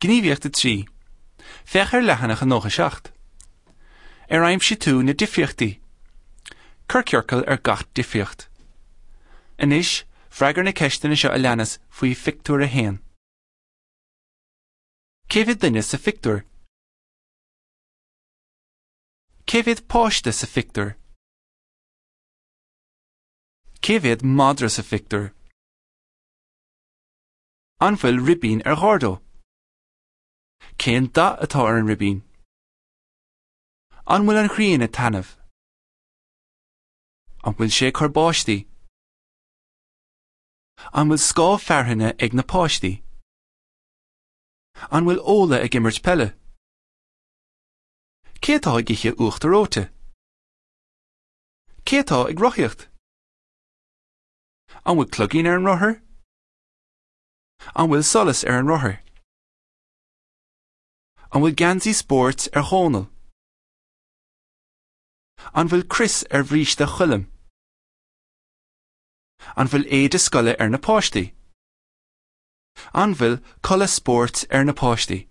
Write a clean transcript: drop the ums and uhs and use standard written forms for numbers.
Gníomhaíocht 3. Féach ar leathanach 97. Ar aimsigh tú na difríochtaí? Cuir ciorcal ar gach difríocht. Anois, freagair na ceisteanna seo a leanas faoi phictiúr 1. Cé mhéad duine sa phictiúr? Cé mhéad páiste sa phictiúr? Cé mhéad madra sa phictiúr? An bhfuil ribín ar Ghordo? Cén dath atá ar an ribín? An bhfuil an ghrian ag taitneamh? An bhfuil sé ag cur báistí? An bhfuil scáth fearthainne ag na páistí? An bhfuil Ola ag imirt peile? Cé atá ag ithe uachtar reoite? Cé atá ag rothaíocht? An bhfuil cloigín ar an rothar? An bhfuil solas ar an rothar? An bhfuil geansaí spóirt ar Dhónall? An bhfuil crios ar bhríste Choilm? An bhfuil éide scoile ar na páistí? An bhfuil culaith spóirt ar na páistí?